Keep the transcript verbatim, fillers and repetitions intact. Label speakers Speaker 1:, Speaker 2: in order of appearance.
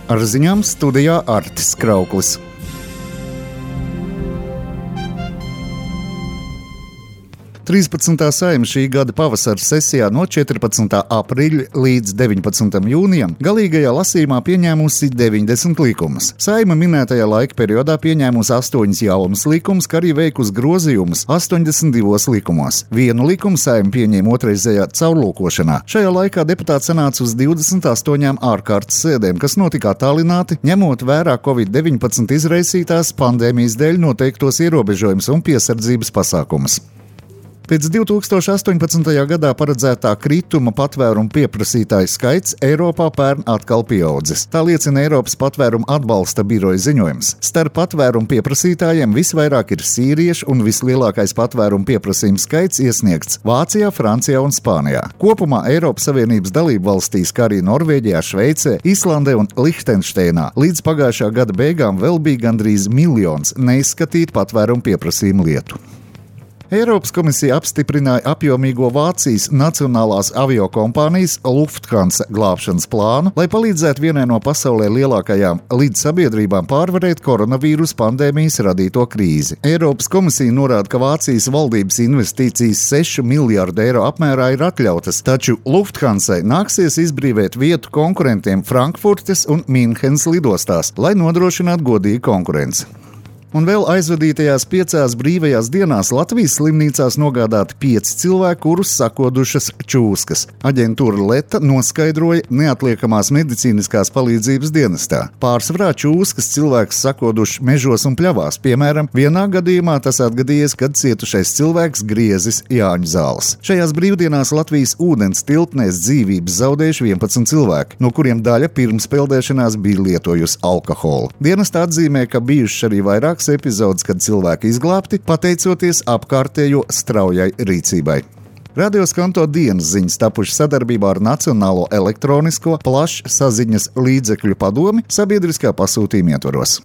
Speaker 1: Ar ziņām studijā Artis Krauklis. trīspadsmitā Saeima šī gada pavasara sesijā no četrpadsmitā aprīļa līdz deviņpadsmitajam jūnijam galīgajā lasījumā pieņēmusi deviņdesmit likumus. Saeima minētajā laika periodā pieņēmusi astoņus jaunus likumus, kā arī veikusi grozījumus astoņdesmit divos likumos. Vienu likumu Saeima pieņēma otrreizējā caurlūkošanā. Šajā laikā deputāti sanāca uz divdesmit astoņām ārkārtas sēdēm, kas notika attālināti, ņemot vērā covid deviņpadsmit izraisītās pandēmijas dēļ noteiktos ierobežojumus un piesardzības pasākumus. Pēc divi tūkstoši astoņpadsmitajā gadā paredzētā krituma patvērumu pieprasītāju skaits Eiropā pērn atkal pieaudzis. Tā liecina Eiropas patvērumu atbalsta biroja ziņojums. Starp patvērumu pieprasītājiem visvairāk ir sīrieši un vislielākais patvērumu pieprasījums skaits iesniegts Vācijā, Francijā un Spānijā. Kopumā Eiropas Savienības dalību valstīs, kā arī Norvēģijā, Šveicē, Islandē un Lihtenšteinā līdz pagājušā gada beigām vēl bija gandrīz miljons neizskatītu patvērumu pieprasījumu lietu. Eiropas komisija apstiprināja apjomīgo Vācijas nacionālās aviokompānijas Lufthansa glābšanas plānu, lai palīdzētu vienai no pasaulē lielākajām lidsabiedrībām pārvarēt koronavīrus pandēmijas radīto krīzi. Eiropas komisija norāda, ka Vācijas valdības investīcijas sešu miljārdu eiro apmērā ir atļautas, taču Lufthansai nāksies izbrīvēt vietu konkurentiem Frankfurtes un Minhenes lidostās, lai nodrošinātu godīgu konkurenci. Un vēl aizvadītajās piecās brīvajās dienās Latvijas slimnīcās nogādāti pieci cilvēki, kurus sakodušas čūskas. Aģentūra Leta noskaidroja neatliekamās medicīniskās palīdzības dienestā. Pārsvarā čūskas cilvēks sakoduši mežos un pļavās. Piemēram, vienā gadījumā tas atgadījies, kad cietušais cilvēks griezis Jāņu zāles. Šajās brīvdienās Latvijas ūdens tilpnēs dzīvības zaudējuši vienpadsmit cilvēki, no kuriem daļa pirms peldēšanās bija lietojusi alkoholu. Dienestā atzīmē, ka bijuši arī vairāk epizodes, kad cilvēki izglābti, pateicoties apkārtējo straujai rīcībai. Radio Skanto dienas ziņas tapuši sadarbībā ar Nacionālo elektronisko plašsaziņas līdzekļu padomi sabiedriskā pasūtījuma ietvaros.